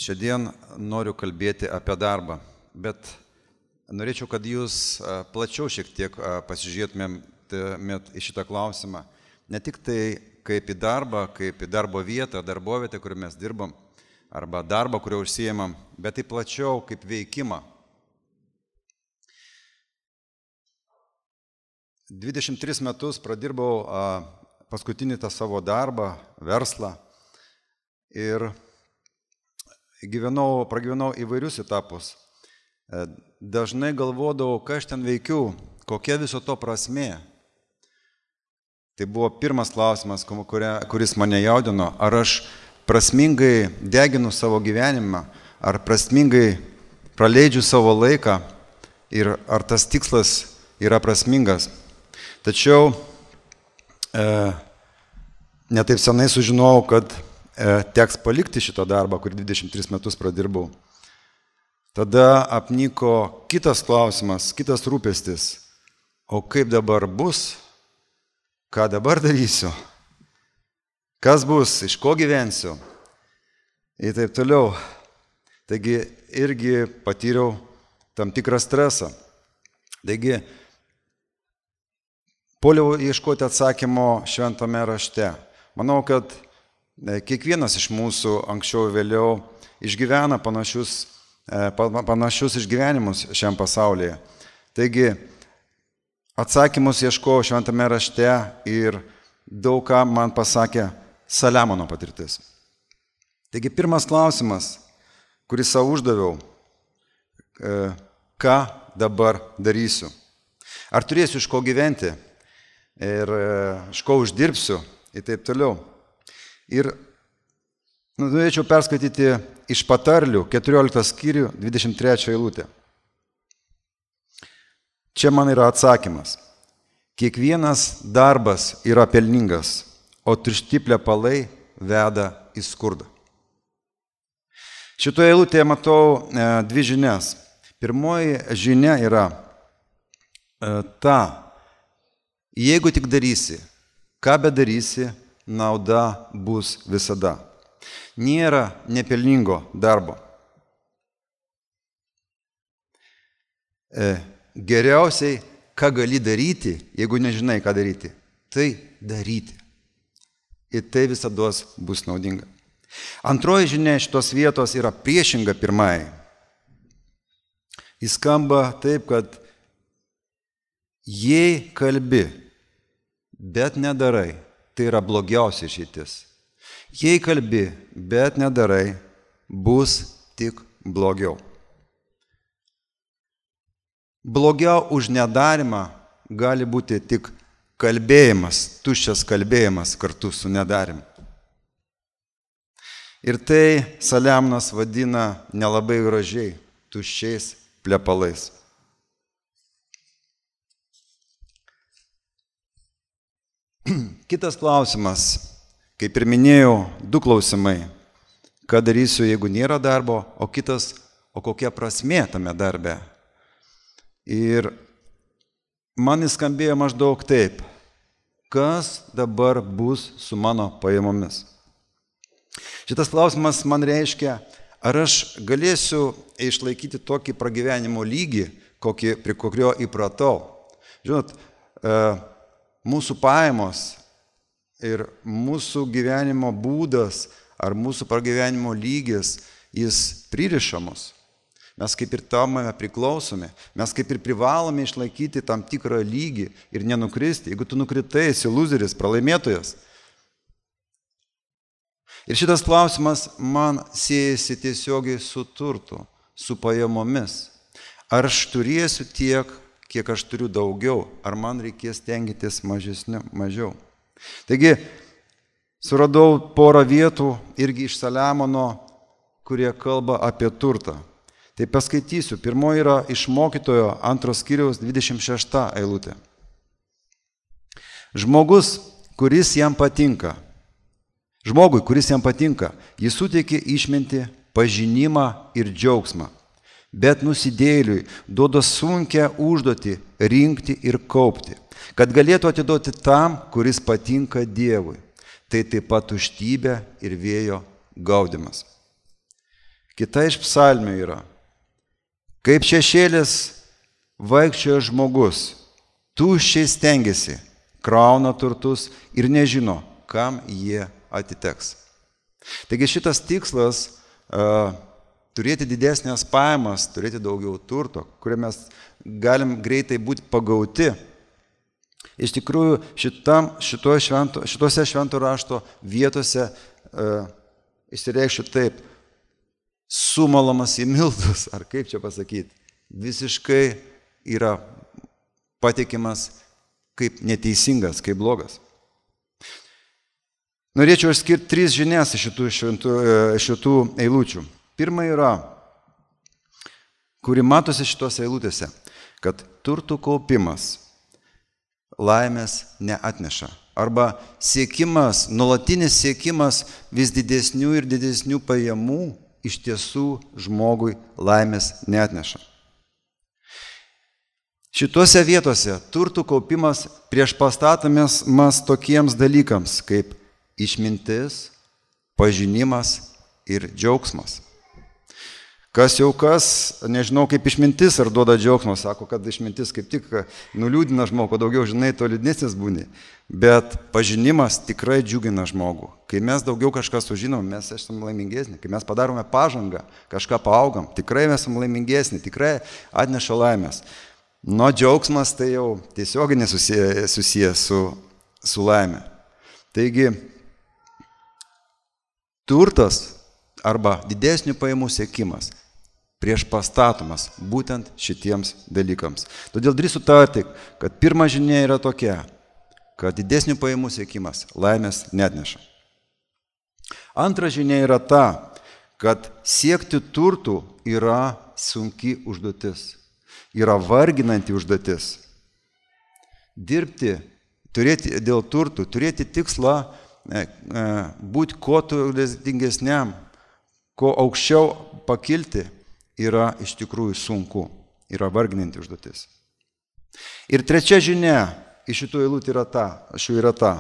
Šiandien noriu kalbėti apie darbą, bet norėčiau, kad jūs plačiau šiek tiek pasižiūrėtumėt į šitą klausimą. Ne tik tai kaip į darbą, kaip į darbo vietą, darbovietę, kur mes dirbam, arba darbą, kurio užsiėmam, bet tai plačiau kaip veikimą. 23 metus pradirbau paskutinį tą savo darbą, verslą ir pragyvenau įvairius etapus. Dažnai galvodavau, ką aš ten veikiu, kokia viso to prasmė. Tai buvo pirmas klausimas, kuris mane jaudino. Ar aš prasmingai deginu savo gyvenimą, ar prasmingai praleidžiu savo laiką ir ar tas tikslas yra prasmingas. Tačiau netaip senai sužinojau, kad teks palikti šitą darbą, kurį 23 metus pradirbau. Tada apniko kitas klausimas, kitas rūpestis. O kaip dabar bus? Ką dabar darysiu? Kas bus? Iš ko gyvensiu? Ir taip toliau. Taigi irgi patyriau tam tikrą stresą. Taigi puoliau ieškoti atsakymo šventame rašte. Manau, kad kiekvienas iš mūsų anksčiau vėliau išgyvena panašius išgyvenimus šiam pasaulyje. Taigi, atsakymus ieškojau šventame rašte ir daug ką man pasakė Saliamono patirtis. Taigi, pirmas klausimas, kurį savo uždaviau, ką dabar darysiu? Ar turėsiu iš ko gyventi ir iš ko uždirbsiu ir taip toliau. Ir norėčiau perskaityti iš Patarlių 14 skyrių 23 eilutę. Čia man yra atsakymas. Kiekvienas darbas yra pelningas, o tušti plepalai veda į skurdą. Šitoje eilutėje matau dvi žinias. Pirmoji žinia yra ta, jeigu tik darysi, ką bedarysi, nauda bus visada. Nėra nepelningo darbo. Geriausiai, ką gali daryti, jeigu nežinai, ką daryti, tai daryti. Ir tai visada bus naudinga. Antroji žinia šitos vietos yra priešinga pirmai. Jis skamba taip, kad jei kalbi, bet nedarai, tai yra blogiausia išeitis. Jei kalbi, bet nedarai, bus tik blogiau. Blogiau už nedarimą gali būti tik kalbėjimas, tuščias kalbėjimas kartu su nedarimu. Ir tai Saliamonas vadina nelabai gražiai, tuščiais plepalais. Kitas klausimas, kaip ir minėjau, du klausimai. Ką darysiu, jeigu nėra darbo, o kitas, o kokia prasmė tame darbe. Ir man jis skambėjo maždaug taip, kas dabar bus su mano pajamomis. Šitas klausimas man reiškia, ar aš galėsiu išlaikyti tokį pragyvenimo lygį, prie kokio įpratau. Žinot, mūsų pajamos ir mūsų gyvenimo būdas ar mūsų pragyvenimo lygis, jis pririša mus. Mes kaip ir tamame priklausomi, mes kaip ir privalome išlaikyti tam tikrą lygį ir nenukristi. Jeigu tu nukritai, esi loseris, pralaimėtojas. Ir šitas klausimas man siejasi tiesiogiai su turtu, su pajamomis. Ar aš turėsiu tiek, kiek aš turiu daugiau, ar man reikės tenkintis mažiau. Taigi, suradau porą vietų irgi iš Saliamono, kurie kalba apie turtą. Tai paskaitysiu. Pirmoji yra iš Mokytojo 2 skyriaus 26 eilutė. Žmogui, kuris jam patinka, jis suteikia išmintį, pažinimą ir džiaugsmą. Bet nusidėjėliui duoda sunkią užduotį rinkti ir kaupti, kad galėtų atiduoti tam, kuris patinka Dievui. Tai taip pat tuštybė ir vėjo gaudymas. Kita iš psalmių yra: kaip šešėlis vaikščioja žmogus, tuščiai stengiasi, krauna turtus ir nežino, kam jie atiteks. Taigi šitas tikslas turėti didesnės pajamas, turėti daugiau turto, kurią mes galim greitai būti pagauti. Iš tikrųjų, šitose švento rašto vietose išsireikščiau taip: sumalamas į miltus, ar kaip čia pasakyti, visiškai yra patikimas kaip neteisingas, kaip blogas. Norėčiau išskirti 3 žinias iš šitų eilučių. Pirma yra, kuri matosi šitose eilutėse, kad turtų kaupimas laimės neatneša. Arba siekimas, nuolatinis siekimas vis didesnių ir didesnių pajamų iš tiesų žmogui laimės neatneša. Šituose vietose turtų kaupimas priešpastatomas tokiems dalykams kaip išmintis, pažinimas ir džiaugsmas. Kas jau kas, nežinau kaip išmintis ar duoda džiaugsmą, sako, kad išmintis kaip tik nuliūdina žmogų, daugiau žinai, to liūdnesnis būni. Bet pažinimas tikrai džiugina žmogų. Kai mes daugiau kažką sužinom, mes esame laimingesni. Kai mes padarome pažangą, kažką paaugam, tikrai mes esame laimingesni, tikrai atneša laimės. Nuo džiaugsmas tai jau tiesiogiai susijęs su laimė. Taigi, turtas arba didesnių pajamų siekimas priešpastatomas būtent šitiems dalykams. Todėl drįstu tarti, kad pirma žinia yra tokia, kad didesnių pajamų siekimas laimės neatneša. Antra žinia yra ta, kad siekti turtų yra sunki užduotis, yra varginanti užduotis. Dirbti, turėti dėl turtų, turėti tikslą būti kuo turtingesniam, kuo aukščiau pakilti, yra iš tikrųjų sunku, yra varginanti užduotis. Ir trečia žinia iš šitų eilutė yra ta,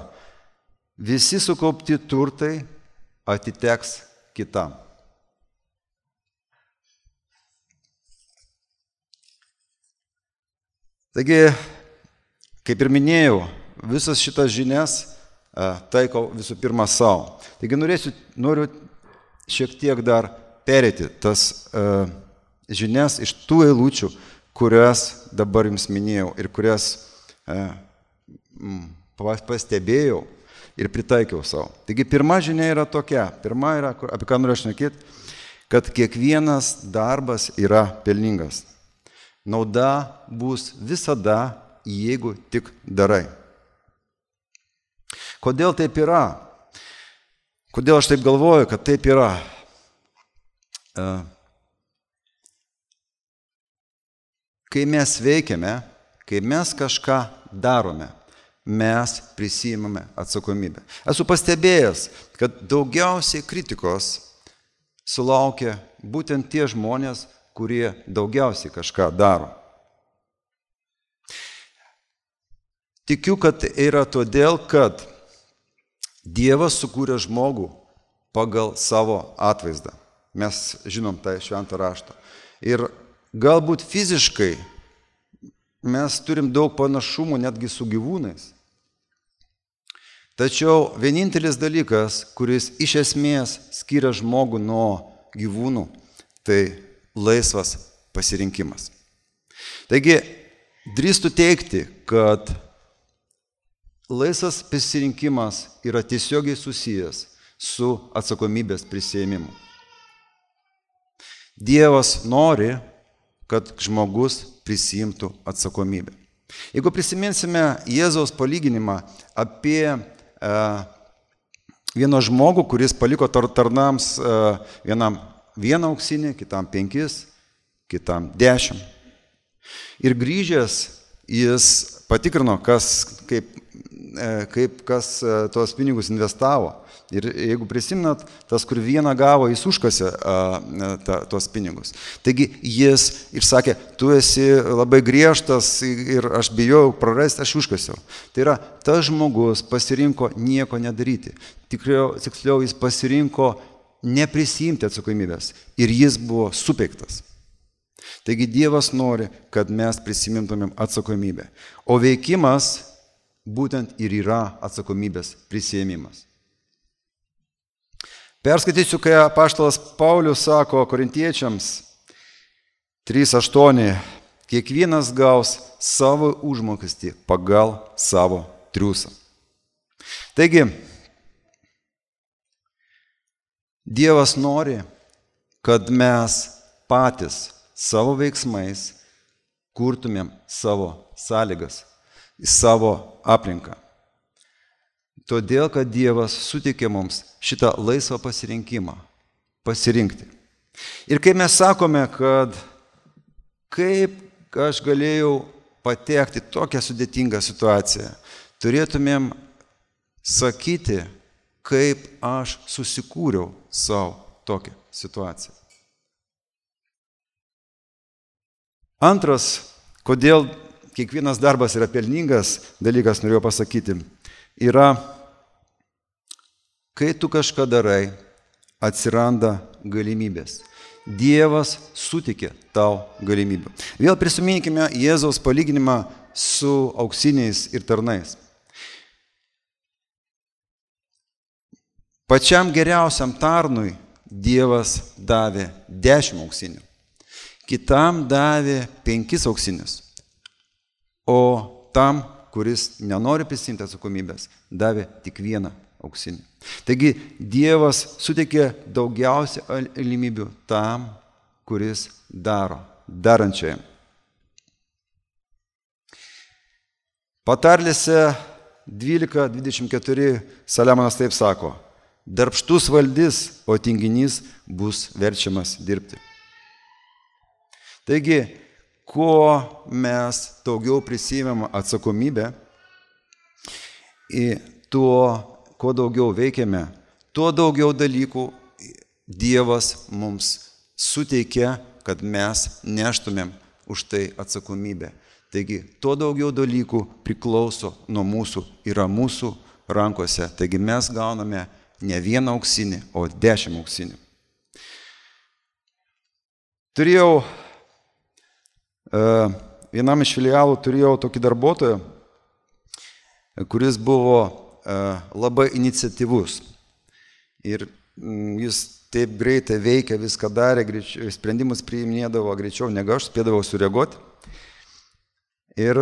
visi sukaupti turtai atiteks kitam. Taigi, kaip ir minėjau, visas šitas žinias taikau visų pirma savo. Taigi noriu šiek tiek dar perėti tas žinias iš tų eilučių, kurias dabar jums minėjau ir kurias pastebėjau ir pritaikiau savo. Taigi pirma žinia yra tokia, pirma yra, apie ką noriu šnekėti, kad kiekvienas darbas yra pelningas. Nauda bus visada, jeigu tik darai. Kodėl taip yra? Kodėl aš taip galvoju, kad taip yra? Kai mes veikiame, kai mes kažką darome, mes prisiimame atsakomybę. Esu pastebėjęs, kad daugiausiai kritikos sulaukia būtent tie žmonės, kurie daugiausiai kažką daro. Tikiu, kad yra todėl, kad Dievas sukūrė žmogų pagal savo atvaizdą. Mes žinom tą šventą raštą. Ir galbūt fiziškai mes turim daug panašumų netgi su gyvūnais. Tačiau vienintelis dalykas, kuris iš esmės skiria žmogų nuo gyvūnų, tai laisvas pasirinkimas. Taigi, drįstu teigti, kad laisvas pasirinkimas yra tiesiogiai susijęs su atsakomybės prisiėmimu. Dievas nori, kad žmogus prisiimtų atsakomybę. Jeigu prisiminsime Jėzaus palyginimą apie vieną žmogų, kuris paliko tarnams vienam 1 auksinį, kitam 5, kitam 10. Ir grįžęs jis patikrino, kaip kas tuos pinigus investavo. Ir jeigu prisiminat, tas, kur vieną gavo, jis užkasė tuos pinigus. Taigi jis ir sakė, tu esi labai griežtas ir aš bijau prarasti, aš užkasiau. Tai yra, tas žmogus pasirinko nieko nedaryti. Tiksliau, jis pasirinko neprisiimti atsakomybės ir jis buvo supeiktas. Taigi Dievas nori, kad mes prisimintumėm atsakomybę. O veikimas būtent ir yra atsakomybės prisiėmimas. Perskaitysiu, kai apaštalas Paulius sako korintiečiams 3:8, kiekvienas gaus savo užmokestį pagal savo triūsą. Taigi, Dievas nori, kad mes patys savo veiksmais kurtumėm savo sąlygas, savo aplinką. Todėl, kad Dievas suteikė mums šitą laisvą pasirinkimą pasirinkti. Ir kai mes sakome, kad kaip aš galėjau patekti tokią sudėtingą situaciją, turėtumėm sakyti, kaip aš susikūriau savo tokią situaciją. Antras, kodėl kiekvienas darbas yra pelningas dalykas, norėjau pasakyti, yra, kai tu kažką darai, atsiranda galimybės. Dievas sutikė tau galimybių. Vėl prisiminkime Jėzaus palyginimą su auksiniais ir tarnais. Pačiam geriausiam tarnui Dievas davė 10 auksinių, kitam davė 5 auksinius, o tam, kuris nenori prisimti atsakomybės, davė tik 1 auksinį. Taigi Dievas suteikė daugiausia galimybių tam, kuris daro, darančiajam. Patarlėse 12:24 Saliamonas taip sako: darbštus valdys, o tinginys bus verčiamas dirbti. Taigi, kuo mes daugiau prisimėm atsakomybę, kuo daugiau veikiame, tuo daugiau dalykų Dievas mums suteikia, kad mes neštumėm už tai atsakomybę. Taigi, tuo daugiau dalykų priklauso nuo mūsų, yra mūsų rankose. Taigi mes gauname ne 1 auksinį, o 10 auksinių. Turėjau, vienam iš filialų turėjau tokį darbuotoją, kuris buvo labai iniciatyvus. Ir jis taip greitai veikia, viską darė, sprendimus priiminėdavo greičiau negu aš, spėdavau sureaguoti. Ir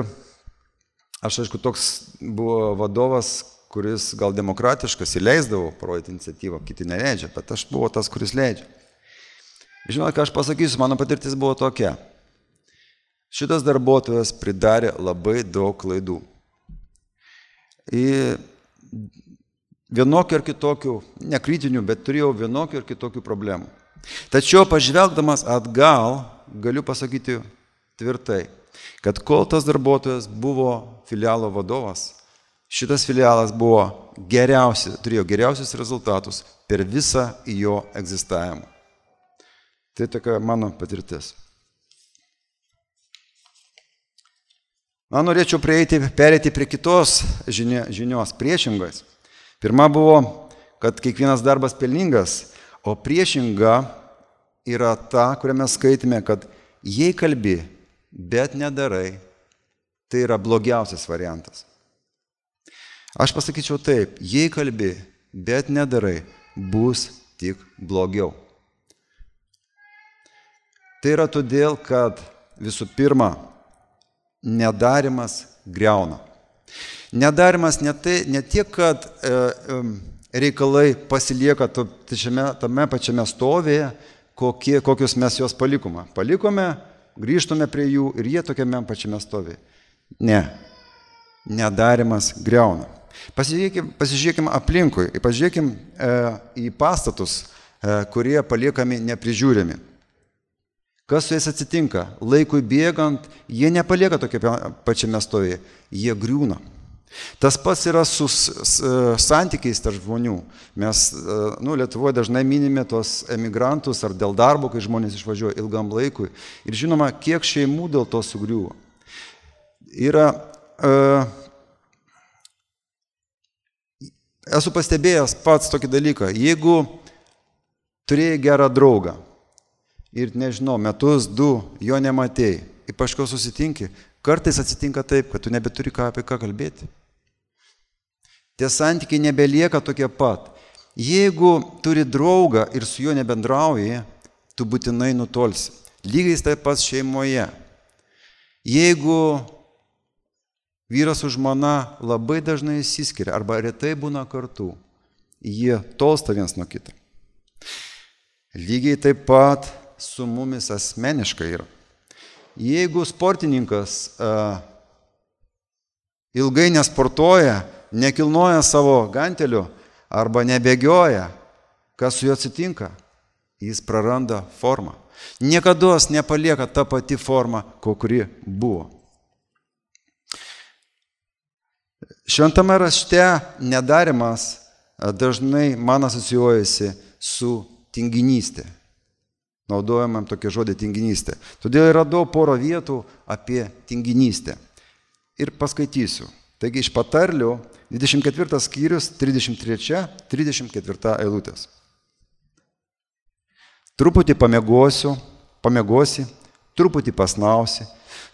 aš, aišku, toks buvo vadovas, kuris gal demokratiškas, įleisdavo parodyti iniciatyvą, kiti neleidžia, bet aš buvau tas, kuris leidžia. Žinote, ką aš pasakysiu, mano patirtis buvo tokia. Šitas darbuotojas pridarė labai daug klaidų. Ir vienokių ar kitokių, nekritinių, bet turėjau vienokių ar kitokių problemų. Tačiau pažvelgdamas atgal, galiu pasakyti tvirtai, kad kol tas darbuotojas buvo filialo vadovas, šitas filialas buvo turėjo geriausius rezultatus per visą jo egzistavimą. Tai tokia mano patirtis. Na, norėčiau perėti prie kitos žinios, priešingos. Pirma buvo, kad kiekvienas darbas pelningas, o priešinga yra ta, kurią mes skaitėme, kad jei kalbi, bet nedarai, tai yra blogiausias variantas. Aš pasakyčiau taip, jei kalbi, bet nedarai, bus tik blogiau. Tai yra todėl, kad visų pirma, nedarimas griauna. Nedarimas ne tiek, kad reikalai pasilieka tame pačiame stovėje, kokius mes juos palikome. Palikome, grįžtume prie jų ir jie tokiame pačiame stovėje. Ne. Nedarimas griauna. Pasižiūrėkime aplinkui, pasižiūrėkime į pastatus, kurie paliekami neprižiūrimi. Kas su jais atsitinka? Laikui bėgant, jie nepalieka tokia pačiame stovėje, jie griūna. Tas pats yra su santykiais tarp žmonių. Mes Lietuvoje dažnai minime tos emigrantus ar dėl darbo, kai žmonės išvažiuoja ilgam laikui. Ir žinoma, kiek šeimų dėl to sugriuvo. Esu pastebėjęs pats tokį dalyką. Jeigu turėjai gerą draugą ir, nežinau, metus, 2 jo nematėjai ir paskui susitinki, kartais atsitinka taip, kad tu nebeturi apie ką kalbėti. Tie santykiai nebelieka tokie pat. Jeigu turi draugą ir su juo nebendrauji, tu būtinai nutolsi. Lygiai taip pat šeimoje. Jeigu vyras su žmona labai dažnai išsiskiria arba retai būna kartu, jie tolsta vienas nuo kito. Lygiai taip pat su mumis asmeniškai yra. Jeigu sportininkas ilgai nesportuoja, nekilnoja savo gantelių arba nebėgioja, kas su juo atsitinka? Jis praranda formą. Niekados nepalieka ta pati forma, kuri buvo. Šventame rašte nedarimas dažnai man asocijuojasi su tinginystė. Naudojamam tokį žodį tinginystė. Todėl radau porą vietų apie tinginystę. Ir paskaitysiu. Taigi iš patarlių 24 skyrius 33-34 eilutės. Truputį pamiegosi, truputį pasnausi,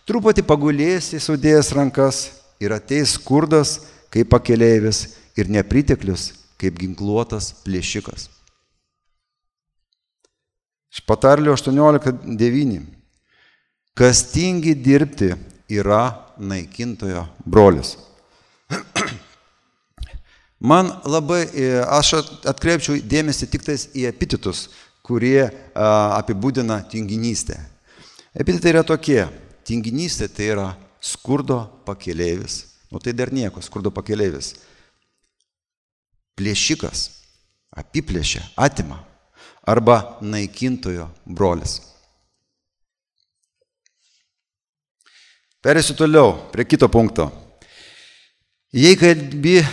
truputį pagulėsi sudėjęs rankas ir ateis skurdas kaip pakeleivis ir nepriteklius kaip ginkluotas plėšikas. Iš patarlių 18:9. Kas tingi dirbti yra naikintojo brolis. Aš atkreipčiau dėmesį tik tais į epitetus, kurie apibūdina tinginystę. Epitetai yra tokie. Tinginystė tai yra skurdo pakeleivis. Tai dar nieko, skurdo pakeleivis. Plėšikas, apiplėšia, atima. Arba naikintojo brolis. Perėsiu toliau prie kito punkto. Jei kalbi,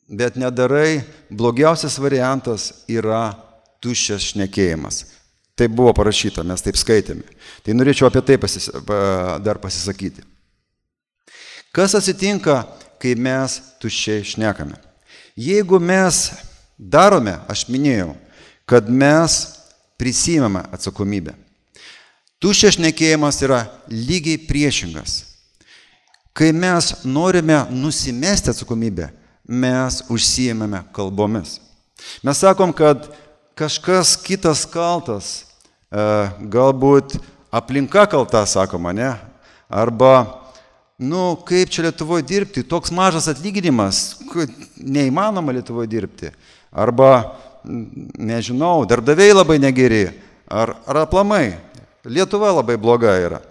bet nedarai, blogiausias variantas yra tuščias šnekėjimas. Tai buvo parašyta, mes taip skaitėme. Tai norėčiau apie tai dar pasisakyti. Kas atsitinka, kai mes tuščiai šnekame? Jeigu mes darome, aš minėjau, kad mes prisiimame atsakomybę. Tuščias šnekėjimas yra lygiai priešingas. Kai mes norime nusimesti atsakomybę, mes užsiėmėme kalbomis. Mes sakom, kad kažkas kitas kaltas, galbūt aplinka kalta, sakoma, ne? Arba, kaip čia Lietuvoje dirbti, toks mažas atlyginimas, neįmanoma Lietuvoje dirbti. Arba, nežinau, darbdaviai labai negeri, ar aplamai, Lietuva labai bloga yra.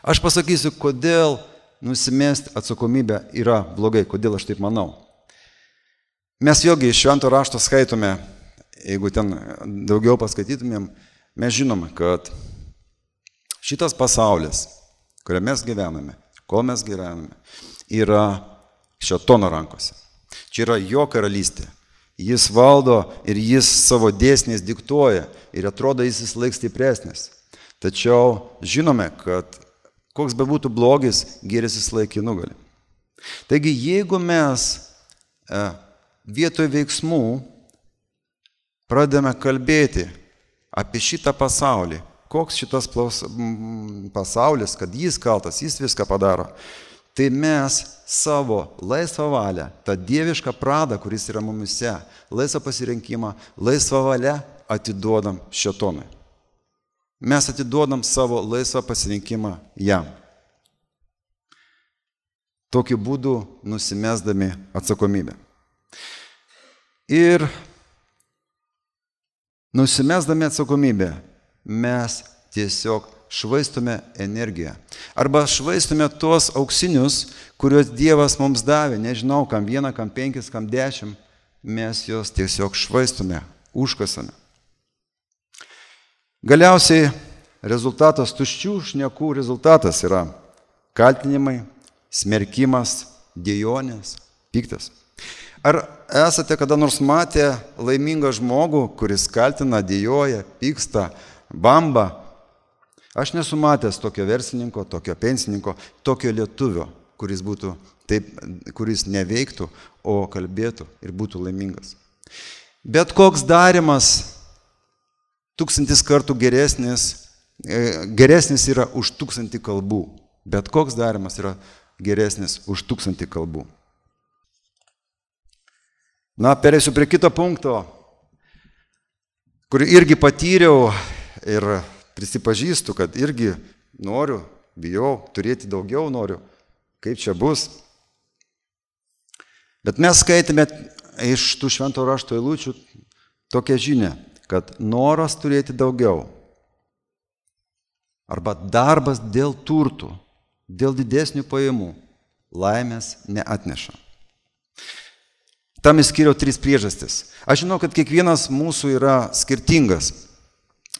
Aš pasakysiu, kodėl nusimesti atsakomybę yra blogai, kodėl aš taip manau. Mes vėlgi iš Švento rašto skaitome, jeigu ten daugiau paskaitytumėm, mes žinome, kad šitas pasaulis, kuriame mes gyvename, kol mes gyvename, yra šėtono rankose. Čia yra jo karalystė. Jis valdo ir jis savo dėsniais diktuoja ir atrodo jis laik stipresnis. Tačiau žinome, kad koks bebūtų blogis, gėris jis laik į nugalį. Taigi, jeigu mes vietoj veiksmų pradedame kalbėti apie šitą pasaulį, koks šitas pasaulis, kad jis kaltas, jis viską padaro, tai mes savo laisvą valią, tą dievišką pradą, kuris yra mumise, laisvą pasirinkimą, laisvą valią atiduodam šėtonui. Mes atiduodam savo laisvą pasirinkimą jam. Tokiu būdu nusimesdami atsakomybę. Ir nusimesdami atsakomybę mes tiesiog švaistome energiją. Arba švaistome tuos auksinius, kuriuos Dievas mums davė. Nežinau, kam 1, kam 5, kam 10. Mes juos tiesiog švaistome, užkasame. Galiausiai rezultatas, tuščių šnekų rezultatas yra kaltinimai, smerkimas, dejonės, piktas. Ar esate kada nors matę laimingą žmogų, kuris kaltina, dejoja, pyksta, bamba? Aš nesu matęs tokio verslininko, tokio pensininko, tokio lietuvio, kuris neveiktų, o kalbėtų ir būtų laimingas. Bet koks darimas 1000 kartų geresnis yra už 1000 kalbų. Bet koks darimas yra geresnis už 1000 kalbų. Na, perėsiu prie kito punkto, kurį irgi patyriau ir prisipažįstu, kad irgi noriu, bijau, turėti daugiau noriu, kaip čia bus. Bet mes skaitėme iš tų švento rašto eilučių tokią žinią, kad noras turėti daugiau arba darbas dėl turtų, dėl didesnių pajamų laimės neatneša. Tam išskyriau 3 priežastis. Aš žinau, kad kiekvienas mūsų yra skirtingas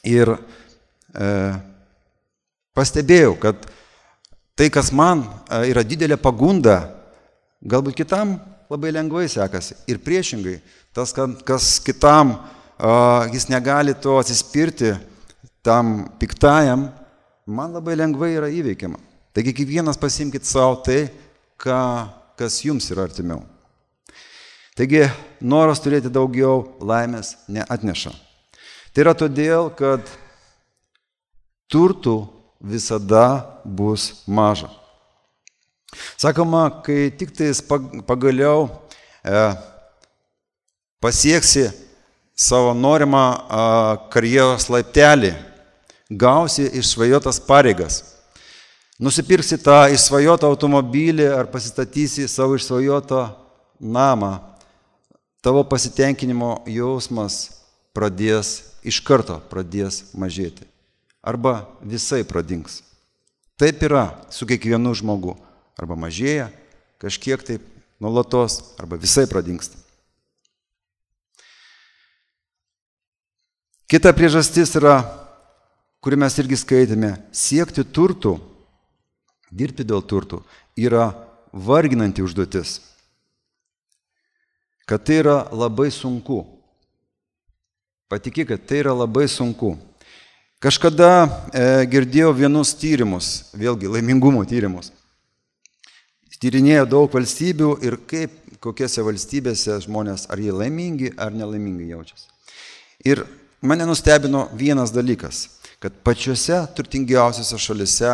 ir pastebėjau, kad tai, kas man yra didelė pagunda, galbūt kitam labai lengvai sekasi. Ir priešingai, tas, kas kitam jis negali to atsispirti, tam piktajam, man labai lengvai yra įveikiama. Taigi kiekvienas pasiimkit savo tai, kas jums yra artimiau. Taigi noras turėti daugiau laimės neatneša. Tai yra todėl, kad turtų visada bus maža. Sakoma, kai tik tais pagaliau pasieksi savo norimą karjeros laiptelį, gausi išsvajotas pareigas, nusipirksi tą išsvajotą automobilį ar pasistatysi savo išsvajotą namą, tavo pasitenkinimo jausmas iš karto pradės mažėti. Arba visai pradings. Taip yra su kiekvienu žmogu. Arba mažėja, kažkiek taip nuolatos, arba visai pradingsta. Kita priežastis yra, kurį mes irgi skaitėme, siekti turtų, dirbti dėl turtų, yra varginanti užduotis. Kad tai yra labai sunku. Patikėk, kad tai yra labai sunku. Kažkada girdėjau vienus tyrimus, vėlgi laimingumo tyrimus. Tyrinėjo daug valstybių ir kokiose valstybėse žmonės, ar jie laimingi, ar nelaimingi jaučiasi. Ir mane nustebino vienas dalykas, kad pačiose turtingiausiose šalise,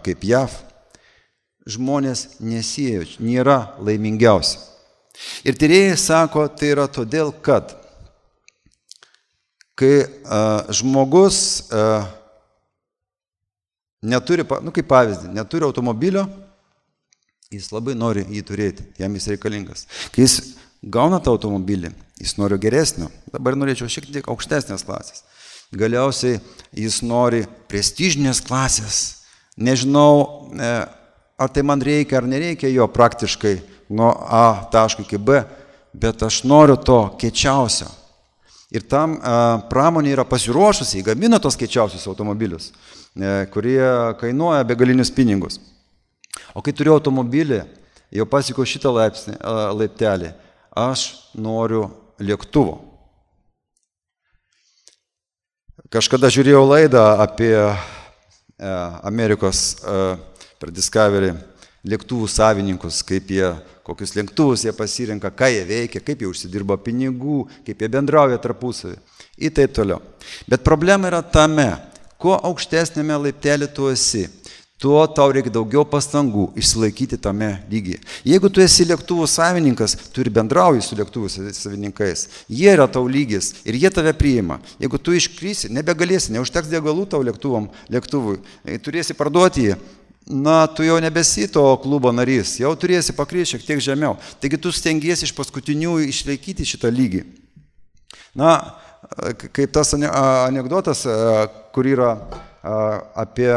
kaip JAV, žmonės nėra laimingiausi. Ir tyrėjai sako, tai yra todėl, kad kai žmogus neturi, kaip pavyzdį, neturi automobilio, jis labai nori jį turėti, jam jis reikalingas. Kai jis gauna tą automobilį, jis nori geresnio, dabar norėčiau šiek tiek aukštesnės klasės. Galiausiai jis nori prestižinės klasės. Nežinau, ar tai man reikia ar nereikia jo praktiškai nuo A taško iki B, bet aš noriu to kiečiausio. Ir tam pramonė yra pasiruošusi, gamina tos kiečiausius automobilius, kurie kainuoja begalinius pinigus. O kai turiu automobilį, jau pasiekiau šitą laiptelį, aš noriu lėktuvo. Kažkada žiūrėjau laidą apie Amerikos per Discovery lėktuvų savininkus, kokius lėktuvus jie pasirenka, ką jie veikia, kaip jie užsidirba pinigų, kaip jie bendrauja tarpusavį ir taip toliau. Bet problema yra tame, kuo aukštesnėme laiptelį tu esi, tuo tau reikia daugiau pastangų išsilaikyti tame lygyje. Jeigu tu esi lėktuvų savininkas, tu ir bendrauji su lėktuvų savininkais, jie yra tau lygis ir jie tave priima. Jeigu tu iškrisi, nebegalėsi, neužteks degalų tau lėktuvui, turėsi parduoti jį, tu jau nebesi to klubo narys, jau turėsi pakristi šiek tiek žemiau. Taigi tu stengiesi iš paskutinių išlaikyti šitą lygį. Kaip tas anekdotas, kur yra apie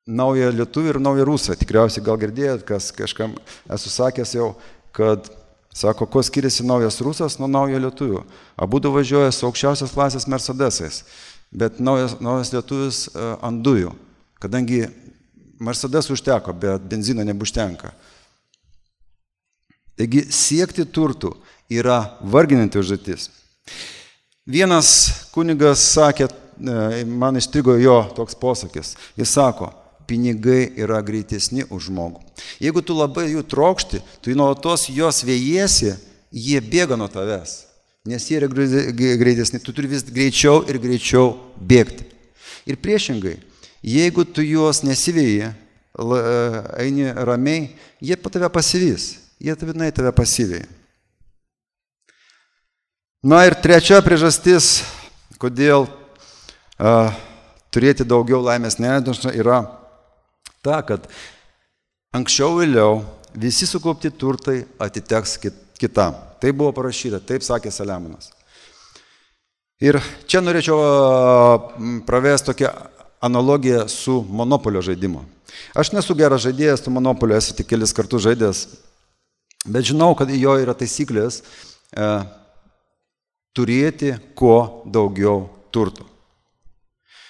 naują lietuvį ir naują rusą. Tikriausiai gal girdėjot, kažkam esu sakęs jau, kad sako, kuo skiriasi naujas rusas nuo naujo lietuvio. Abudu važiuoja su aukščiausios klasės Mercedesais, bet naujas lietuvis ant dujų. Kadangi Mercedes užteko, bet benzino nebužtenka. Taigi siekti turtų yra varginanti užduotis. Vienas kunigas sakė, man įstrigo jo toks posakis, jis sako, pinigai yra greitesni už žmogų. Jeigu tu labai jų trokšti, tu nuolatos jos vėjiesi, jie bėga nuo tavęs, nes jie yra greitesni, tu turi vis greičiau ir greičiau bėgti. Ir priešingai, jeigu tu juos nesivėji, eini ramiai, jie po tave pasivys, jie tave pasivėja. Na ir trečia priežastis, kodėl turėti daugiau laimės nedažna, yra ta, kad anksčiau vėliau visi sukaupti turtai atiteks kitam. Tai buvo parašyta, taip sakė Saliamonas. Ir čia norėčiau pravesti tokią analogiją su monopolio žaidimu. Aš nesu geras žaidėjas, tu monopolio esu tik kelis kartus žaidėjas, bet žinau, kad jo yra taisyklės turėti kuo daugiau turto.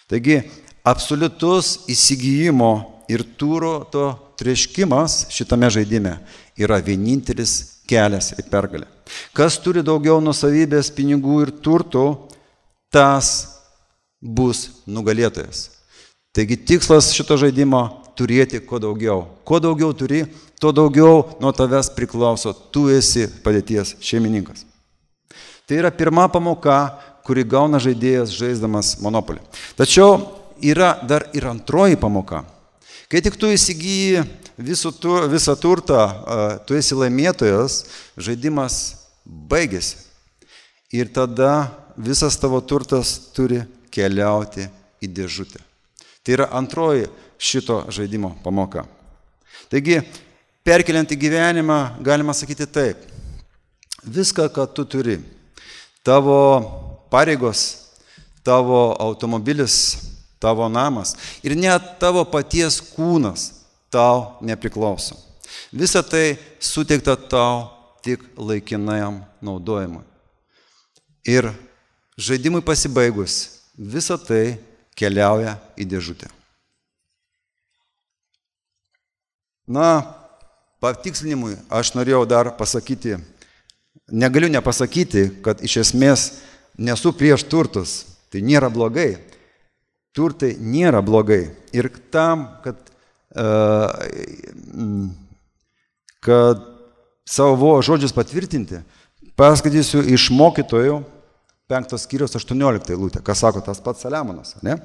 Taigi, absoliutus įsigijimo ir turto treškimas šitame žaidime yra vienintelis kelias į pergalę. Kas turi daugiau nuosavybės, pinigų ir turtų, tas bus nugalėtojas. Taigi tikslas šito žaidimo turėti kuo daugiau. Kuo daugiau turi, tuo daugiau nuo tavęs priklauso, tu esi padėties šeimininkas. Tai yra pirma pamoka, kuri gauna žaidėjas žaisdamas monopolį. Tačiau yra dar ir antroji pamoka. Kai tik tu įsigyji visą turtą, tu esi laimėtojas, žaidimas baigėsi. Ir tada visas tavo turtas turi keliauti į dėžutę. Tai yra antroji šito žaidimo pamoka. Taigi, perkeliant į gyvenimą, galima sakyti taip. Viską, ką tu turi, tavo pareigos, tavo automobilis, tavo namas ir net tavo paties kūnas tau nepriklauso. Visa tai suteikta tau tik laikinajam naudojimui. Ir žaidimui pasibaigus, visa tai keliauja į dėžutę. Na, patikslinimui aš norėjau dar pasakyti, negaliu nepasakyti, kad iš esmės nesu prieš turtus. Tai nėra blogai. Turtai nėra blogai. Ir tam, kad savo žodžius patvirtinti, paskaitysiu iš Mokytojų 5 skyriaus 18 eilutę, ką sako tas pats Saliamonas, ne?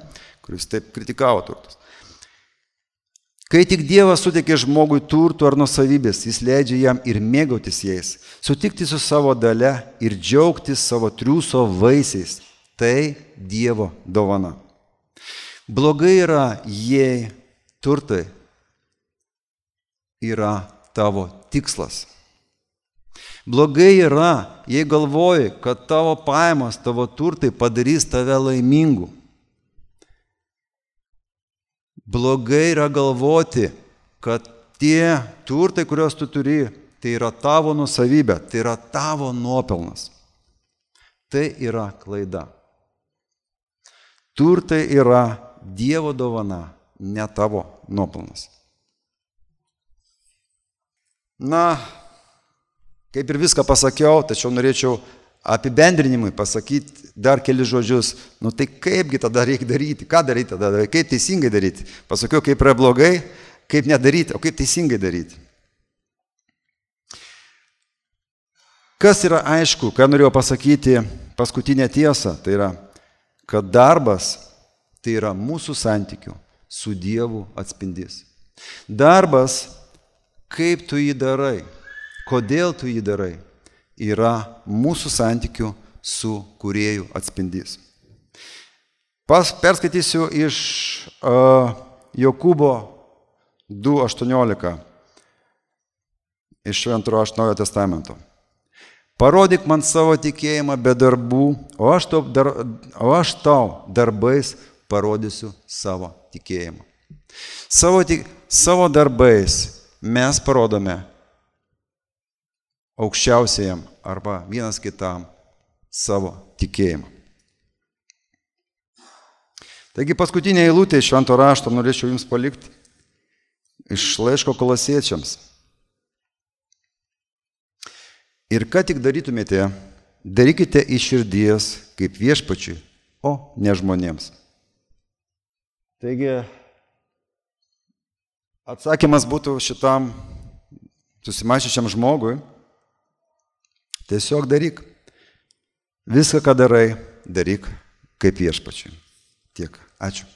Kuris taip kritikavo turtus. Kai tik Dievas suteikė žmogui turtų ar nuosavybės, jis leidžia jam ir mėgautis jais, sutikti su savo dalia ir džiaugtis savo triūso vaisiais. Tai Dievo dovana. Blogai yra, jei turtai yra tavo tikslas. Blogai yra, jei galvoji, kad tavo pajamos, tavo turtai padarys tave laimingu. Blogai yra galvoti, kad tie turtai, kuriuos tu turi, tai yra tavo nuosavybė, tai yra tavo nuopelnas. Tai yra klaida. Turtai yra Dievo dovana, ne tavo nuopelnas. Na, kaip ir viską pasakiau, tačiau norėčiau apibendrinimui pasakyti dar keli žodžius. Nu tai kaipgi tada reikia daryti? Ką daryti tada? Kaip teisingai daryti? Pasakiau, kaip yra blogai, kaip nedaryti, o kaip teisingai daryti. Kas yra aišku, ką norėjau pasakyti, paskutinė tiesa, tai yra, kad darbas tai yra mūsų santykių su Dievu atspindys. Darbas, kaip tu jį darai, kodėl tu jį darai, yra mūsų santykių su Kūrėju atspindys. Perskaitysiu iš Jokūbo 2:18 iš Šventojo rašto Naujojo testamento. Parodyk man savo tikėjimą be darbų, o aš tau darbais parodysiu savo tikėjimą. Savo darbais mes parodome aukščiausiajam arba vienas kitam savo tikėjimą. Taigi paskutinė eilutė iš Švento rašto norėčiau jums palikti iš laiško Kolosiečiams. Ir ką tik darytumėte, darykite iš širdies kaip viešpačiui, o ne žmonėms. Taigi, atsakymas būtų šitam susimašyčiam žmogui, Tiesiog daryk. Viską, ką darai, daryk kaip viešpačiui. Tiek. Ačiū.